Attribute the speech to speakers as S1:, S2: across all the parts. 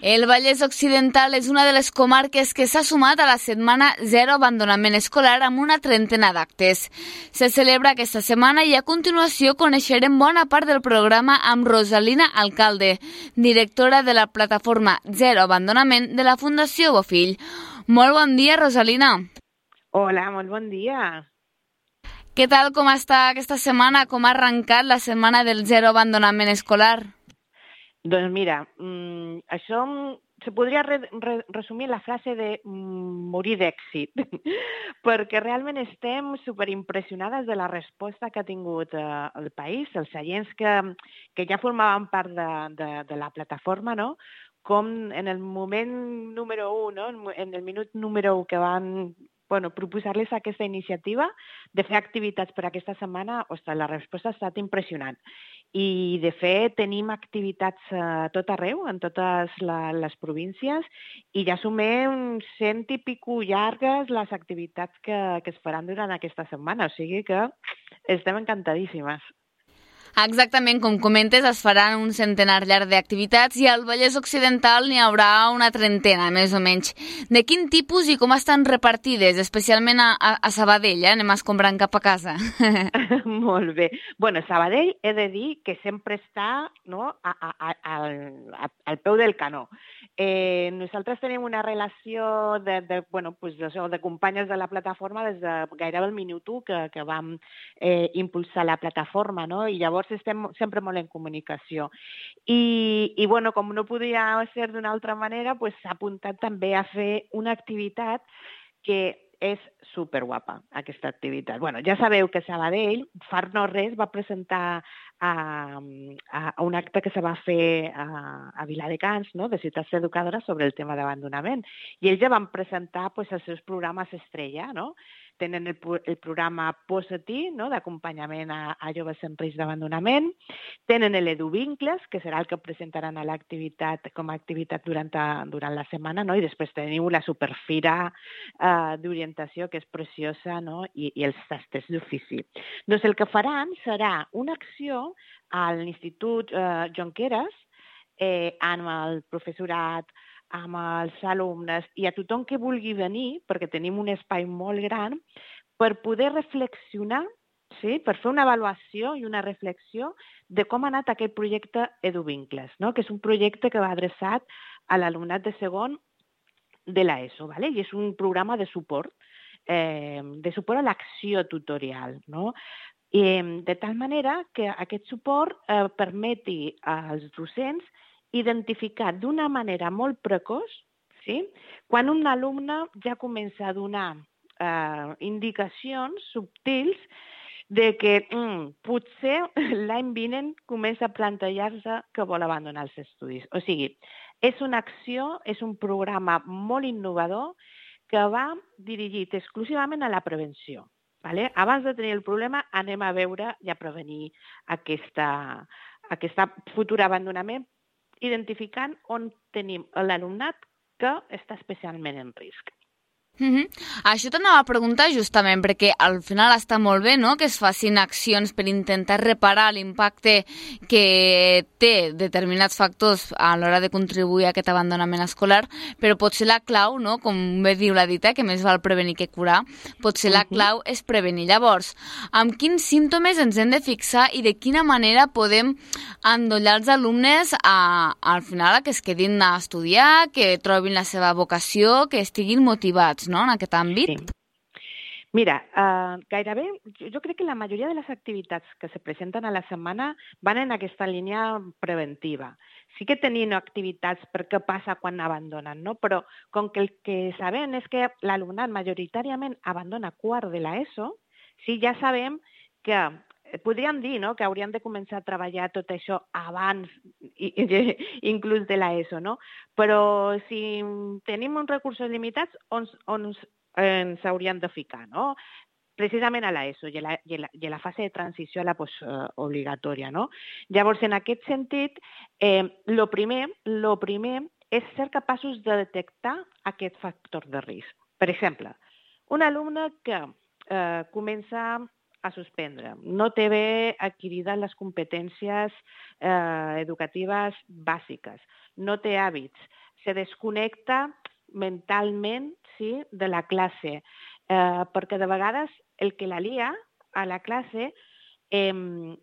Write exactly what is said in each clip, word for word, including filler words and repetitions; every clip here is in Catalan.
S1: El Vallès Occidental és una de les comarques que s'ha sumat a la setmana Zero Abandonament Escolar amb una trentena d'actes. Se celebra aquesta setmana i a continuació coneixerem bona part del programa amb Rosalina Alcalde, directora de la plataforma Zero Abandonament de la Fundació Bofill. Molt bon dia, Rosalina.
S2: Hola, molt bon dia.
S1: Què tal, com està aquesta setmana? Com ha arrencat la setmana del Zero Abandonament Escolar?
S2: Doncs mira, mmm, això se podria re re resumir la frase de mm, morir d'èxit, perquè realment estem superimpressionades de la resposta que ha tingut eh, el país, els seients que, que ja formaven part de, de, de la plataforma, no? Com en el moment número u, no? En el minut número u que van bueno, proposar-les aquesta iniciativa de fer activitats per aquesta setmana, ostres, la resposta ha estat impressionant. I, de fet, tenim activitats a tot arreu, en totes la, les províncies, i ja sumem cent i pico llargues les activitats que, que es faran durant aquesta setmana, o sigui que estem encantadíssimes.
S1: Exactament, com comentes, es faran un centenar llarg d'activitats i al Vallès Occidental n'hi haurà una trentena, més o menys. De quin tipus i com estan repartides, especialment a, a, a Sabadell, eh? Anem escombrant cap a casa.
S2: Molt bé. Bueno, Sabadell he de dir que sempre està, no, a, a, a, al, a, al peu del canó. Eh, nosaltres tenim una relació de, de, bueno, pues de, de companyes de la plataforma des de gairebé el minut u que, que vam eh, impulsar la plataforma, no? I llavors estem sempre molt en comunicació. I, i bueno, com no podia ser d'una altra manera, pues, s'ha apuntat també a fer una activitat que és superguapa, aquesta activitat. Bueno, ja sabeu que Sabadell, fa no res, va presentar a, a, a un acte que se va fer a, a Viladecans, no?, de ciutats educadores sobre el tema d'abandonament. I ells ja van presentar pues, els seus programes estrella, no? Tenen el, el programa Posa-t'hi, no?, d'acompanyament a, a joves en risc d'abandonament. Tenen l'EduVincles, que serà el que presentaran a l'activitat com a activitat durant, a, durant la setmana, no? I després teniu la superfira eh, d'orientació, que és preciosa, no?, I, i els tastos d'ofici. Doncs el que faran serà una acció a l'Institut eh, Jonqueres eh, amb el professorat, amb els alumnes i a tothom que vulgui venir, perquè tenim un espai molt gran, per poder reflexionar, sí? Per fer una avaluació i una reflexió de com ha anat aquest projecte EduVincles, no? Que és un projecte que va adreçat a l'alumnat de segon de l'ESO, ¿vale? I és un programa de suport, eh, de suport a l'acció tutorial, no? I, de tal manera que aquest suport eh, permeti als docents identificar d'una manera molt precoç, sí? Quan un alumne ja comença a donar eh, indicacions subtils de que mm, potser l'any vinent comença a plantejar-se que vol abandonar els estudis. O sigui, és una acció, és un programa molt innovador que va dirigit exclusivament a la prevenció. Vale? Abans de tenir el problema, anem a veure i a prevenir aquesta, aquesta futur abandonament, identificant on tenim l'alumnat que està especialment en risc.
S1: Mm-hmm. Això t'anava a preguntar justament perquè al final està molt bé, no?, que es facin accions per intentar reparar l'impacte que té determinats factors a l'hora de contribuir a aquest abandonament escolar, però potser la clau, no?, com bé diu la dita, que més val prevenir que curar, potser la clau és prevenir. Llavors, amb quins símptomes ens hem de fixar i de quina manera podem endollar els alumnes a, al final a que es quedin a estudiar, que trobin la seva vocació, que estiguin motivats, no?, en aquest àmbit?
S2: Sí. Mira, uh, gairebé, jo, jo crec que la majoria de les activitats que se presenten a la setmana van en aquesta línia preventiva. Sí que tenim activitats per què passa quan abandonen, no? Però com que el que sabem és que l'alumnat majoritàriament abandona quart de l'ESO, sí, ja sabem que podríem dir, no?, que hauríem de començar a treballar tot això abans, i, i, inclús de l'ESO, no? Però si tenim uns recursos limitats, on, on ens hauríem de ficar, no? Precisament a l'ESO i a la, i a la, i a la fase de transició a la postobligatòria, no? Llavors, en aquest sentit, eh, lo primer, lo primer és ser capaços de detectar aquest factor de risc. Per exemple, un alumne que eh, comença a suspendre, no té bé adquirides les competències eh, educatives bàsiques, no té hàbits, se desconnecta mentalment, sí, de la classe, eh, perquè de vegades el que la lia a la classe eh,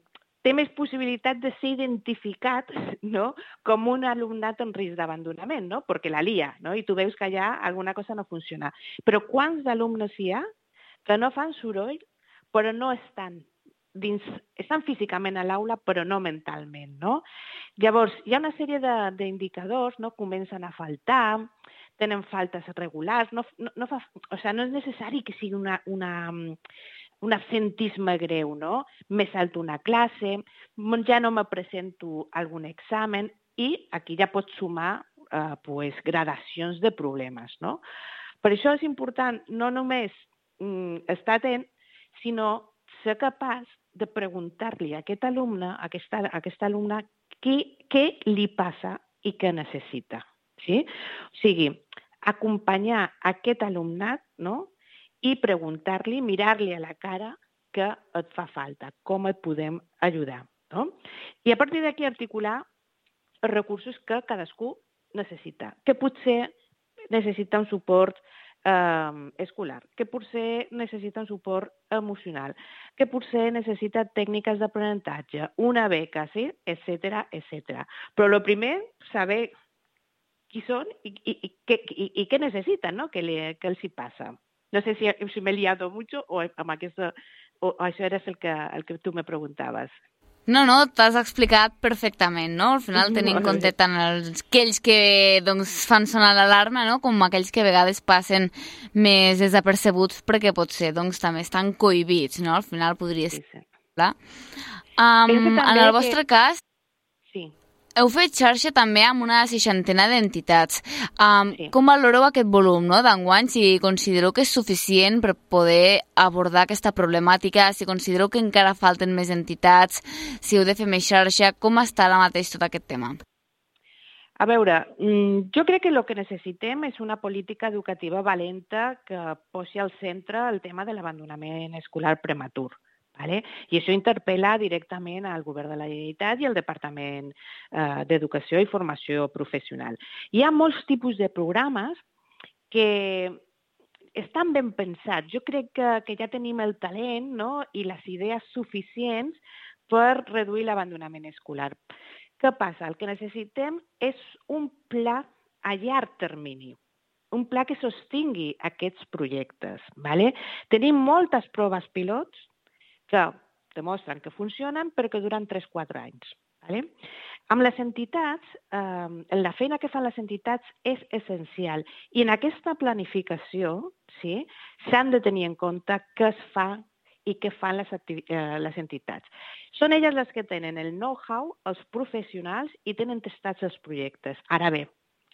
S2: té més possibilitat de ser identificat, no?, com un alumnat en risc d'abandonament, no?, perquè la lia, no?, i tu veus que allà alguna cosa no funciona. Però quants alumnes hi ha que no fan soroll, però no estan dins, estan físicament a l'aula, però no mentalment, no? Llavors, hi ha una sèrie d'indicadors, no?, comencen a faltar, tenen faltes regulars, no, no, no, fa, o sigui, no és necessari que sigui una, una, un absentisme greu, no? Me salto una classe, ja no me presento a algun examen i aquí ja pots sumar eh, pues, gradacions de problemes, no? Per això és important no només mm, estar atent, sinó ser capaç de preguntar-li a aquest alumne, a aquesta, a aquesta alumna, què, què li passa i què necessita. Sí? O sigui, acompanyar aquest alumnat, no?, i preguntar-li, mirar-li a la cara què et fa falta, com et podem ajudar. No? I a partir d'aquí articular els recursos que cadascú necessita, que potser necessita un suport eh, escolar, que potser necessita un suport emocional, que potser necessita tècniques d'aprenentatge, una beca, sí? etcètera, etcètera. Però el primer, saber qui són i, i, i, què, i, i què necessiten, no?, que, li, que els hi passa. No sé si, si m'he liado mucho o amb aquesta, o això era el que, el que tu me preguntaves.
S1: No, no, t'has explicat perfectament, no? Al final tenint en compte tant els, aquells que doncs, fan sonar l'alarma, no?, com aquells que a vegades passen més desapercebuts perquè potser doncs, també estan cohibits, no? Al final podria ser. Sí, sí. Um, en el vostre que... cas...
S2: Sí.
S1: Heu fet xarxa també amb una seixantena d'entitats. Um,
S2: sí.
S1: Com valoreu aquest volum, no?, d'enguany? Si considereu que és suficient per poder abordar aquesta problemàtica, si considereu que encara falten més entitats, si heu de fer més xarxa, com està ara mateix tot aquest tema?
S2: A veure, jo crec que el que necessitem és una política educativa valenta que posi al centre el tema de l'abandonament escolar prematur. Vale? I això interpel·la directament al Govern de la Generalitat i al Departament eh, d'Educació i Formació Professional. Hi ha molts tipus de programes que estan ben pensats. Jo crec que, que ja tenim el talent, no?, i les idees suficients per reduir l'abandonament escolar. Què passa? El que necessitem és un pla a llarg termini, un pla que sostingui aquests projectes. Vale? Tenim moltes proves pilots que demostren que funcionen però que duren tres a quatre anys. Vale? Amb les entitats, eh, la feina que fan les entitats és essencial i en aquesta planificació sí, s'han de tenir en compte què es fa i què fan les, eh, les entitats. Són elles les que tenen el know-how, els professionals i tenen testats els projectes. Ara bé,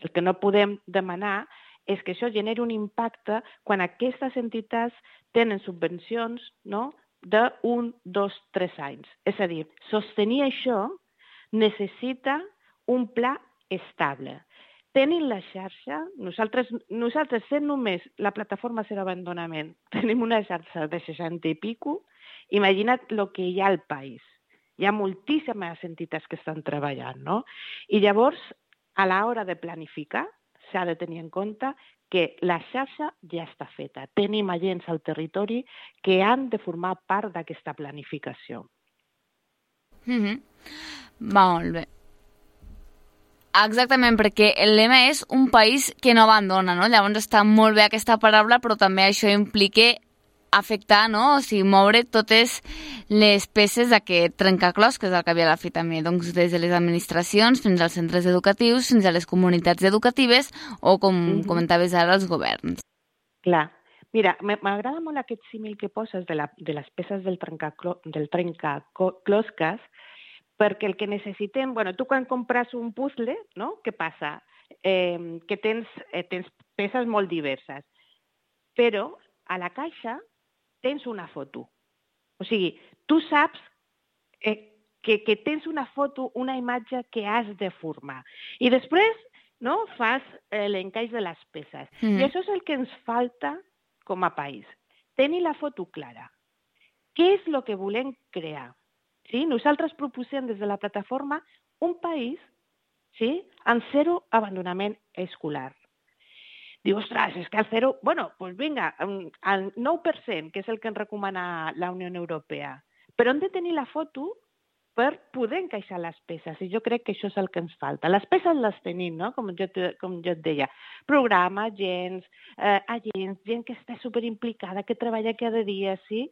S2: el que no podem demanar és que això generi un impacte quan aquestes entitats tenen subvencions, no?, d'un, dos, tres anys. És a dir, sostenir això necessita un pla estable. Tenint la xarxa, nosaltres, nosaltres sent només la plataforma Zero Abandonament, tenim una xarxa de seixanta i pico, imagina't el que hi ha al país. Hi ha moltíssimes entitats que estan treballant, no? I llavors, a l'hora de planificar, s'ha de tenir en compte que la xarxa ja està feta. Tenim agents al territori que han de formar part d'aquesta planificació.
S1: Mm-hmm. Molt bé. Exactament, perquè el lema és un país que no abandona, no? Llavors està molt bé aquesta paraula, però també això implica afectar, no? O sigui, moure totes les peces d'aquest trencaclòs, que és el que havia a la fi també, doncs, des de les administracions fins als centres educatius, fins a les comunitats educatives o, com mm-hmm. comentaves ara, els governs.
S2: Clar. Mira, m'agrada molt aquest símil que poses de, la, de les peces del trencaclosques, del trencaclosques, perquè el que necessitem... Bueno, tu quan compres un puzzle, no? Què passa? Eh, que tens, eh, tens peces molt diverses, però a la caixa tens una foto. O sigui, tu saps eh, que, que tens una foto, una imatge que has de formar. I després no, fas eh, l'encaix de les peces. Mm. I això és el que ens falta com a país. Tenir la foto clara. Què és el que volem crear? Sí? Nosaltres proposem des de la plataforma un país sí? En zero abandonament escolar. Diu, ostres, és que el zero... Bueno, doncs vinga, el nou per cent, que és el que ens recomana la Unió Europea. Però hem de tenir la foto per poder encaixar les peces, i jo crec que això és el que ens falta. Les peces les tenim, no? Com jo, com jo et deia. Programa, agents, eh, agents, gent que està superimplicada, que treballa cada dia, sí?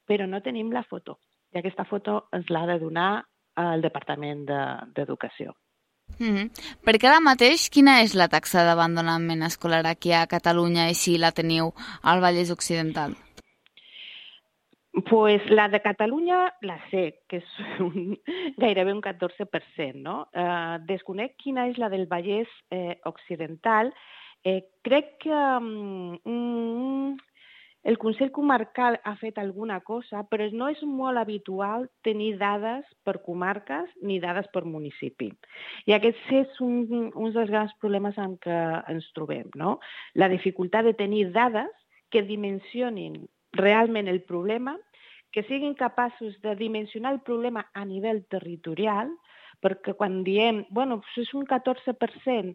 S2: Però no tenim la foto. I aquesta foto ens l'ha de donar el Departament d'Educació.
S1: Mm-hmm. Perquè ara mateix, quina és la taxa d'abandonament escolar aquí a Catalunya i si la teniu al Vallès Occidental?
S2: Pues la de Catalunya la sé, que és un, gairebé un catorze per cent, no? Eh, desconec quina és la del Vallès eh, Occidental. Eh, crec que mm, el Consell Comarcal ha fet alguna cosa, però no és molt habitual tenir dades per comarques ni dades per municipi. I aquest és un, un dels grans problemes en què ens trobem, no? La dificultat de tenir dades que dimensionin realment el problema, que siguin capaços de dimensionar el problema a nivell territorial, perquè quan diem, bueno, és un catorze per cent,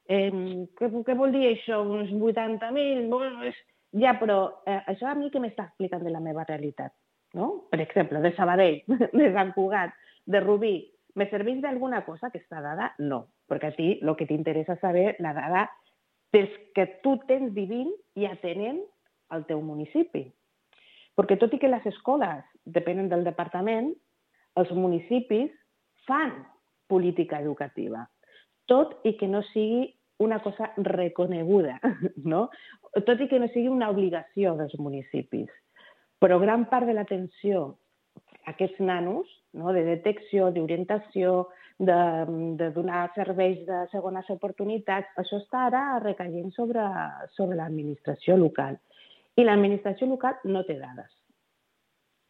S2: eh, què, què vol dir això? Uns vuitanta mil? Bueno, és... Ja, però eh, això a mi què m'està explicant de la meva realitat, no? Per exemple, de Sabadell, de Sant Cugat, de Rubí, me serveix d'alguna cosa aquesta dada? No, perquè a ti el que t'interessa saber la dada és que tu tens vivint i atenent al teu municipi. Perquè tot i que les escoles depenen del departament, els municipis fan política educativa, tot i que no sigui una cosa reconeguda, no? Tot i que no sigui una obligació dels municipis. Però gran part de l'atenció a aquests nanos, no? De detecció, d'orientació, de, de donar serveis de segones oportunitats, això està ara recaient sobre, sobre l'administració local. I l'administració local no té dades.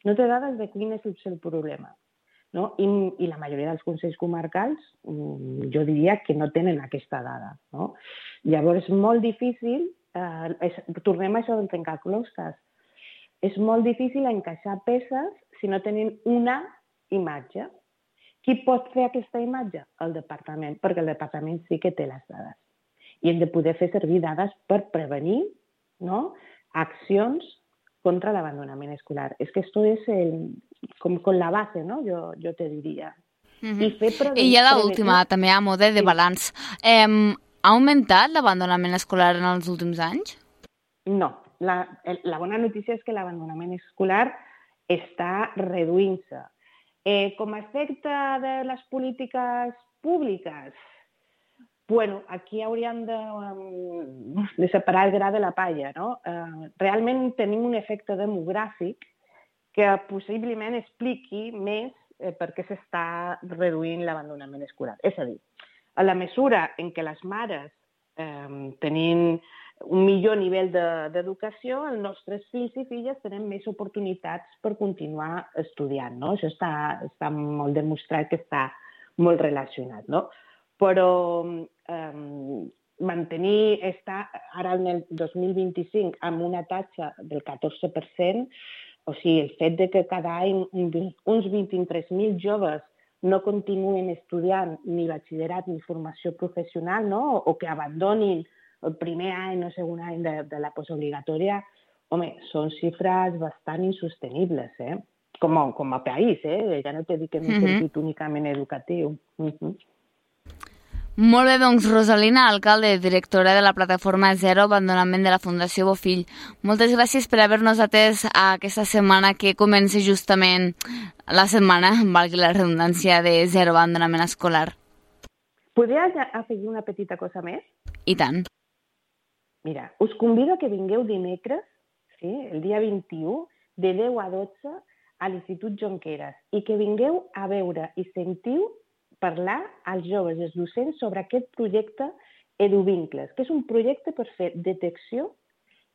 S2: No té dades de quin és el problema. No? I, I la majoria dels consells comarcals, jo diria que no tenen aquesta dada. No? Llavors, és molt difícil, eh, és, tornem a això del trencaclosques, és molt difícil encaixar peces si no tenim una imatge. Qui pot fer aquesta imatge? El departament, perquè el departament sí que té les dades. I hem de poder fer servir dades per prevenir, no? Accions contra l'abandonament escolar. És que esto es el, com, com la base, no? Jo, jo te diria.
S1: Mm-hmm. I, fer I ja l'última, també a mode de balanç. Eh, ha augmentat l'abandonament escolar en els últims anys?
S2: No. La, la bona notícia és que l'abandonament escolar està reduint-se. Eh, com a efecte de les polítiques públiques, bueno, aquí hauríem de, um, de separar el gra de la palla, no? Uh, realment tenim un efecte demogràfic que possiblement expliqui més eh, per què s'està reduint l'abandonament escolar. És a dir, a la mesura en què les mares eh, tenim un millor nivell d'educació, els nostres fills i filles tenen més oportunitats per continuar estudiant, no? Això està, està molt demostrat que està molt relacionat, no? Però eh, mantenir, estar ara en el dos mil vint-i-cinc amb una taxa del catorze per cent, o sigui, el fet de que cada any uns vint-i-tres mil joves no continuen estudiant ni batxillerat ni formació professional, no? O que abandonin el primer any o segon any de, de la postobligatòria, home, són xifres bastant insostenibles, eh? Com a, com a país, eh? Ja no t'he dit que en un
S1: Mm-hmm.
S2: sentit únicament educatiu. Mm-hmm.
S1: Molt bé, doncs, Rosalina, alcalde, directora de la plataforma Zero Abandonament de la Fundació Bofill. Moltes gràcies per haver-nos atès a aquesta setmana que comença justament la setmana, valgui la redundància, de Zero Abandonament Escolar.
S2: Podria afegir una petita cosa més?
S1: I tant.
S2: Mira, us convido que vingueu dimecres, sí, el dia vint-i-u, de deu a dotze, a l'Institut Jonqueres, i que vingueu a veure i sentiu parlar als joves i als docents sobre aquest projecte EduVincles, que és un projecte per fer detecció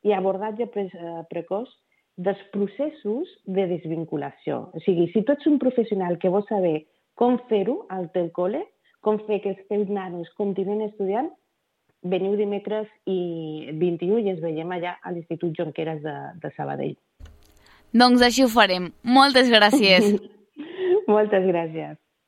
S2: i abordatge pre precoç dels processos de desvinculació. O sigui, si tu ets un professional que vols saber com fer-ho al teu col·le, com fer que els teus nanos continuen estudiant, veniu dimecres i vint-i-u i ens veiem allà a l'Institut Jonqueres de, de Sabadell.
S1: Doncs així ho farem. Moltes gràcies.
S2: Moltes gràcies.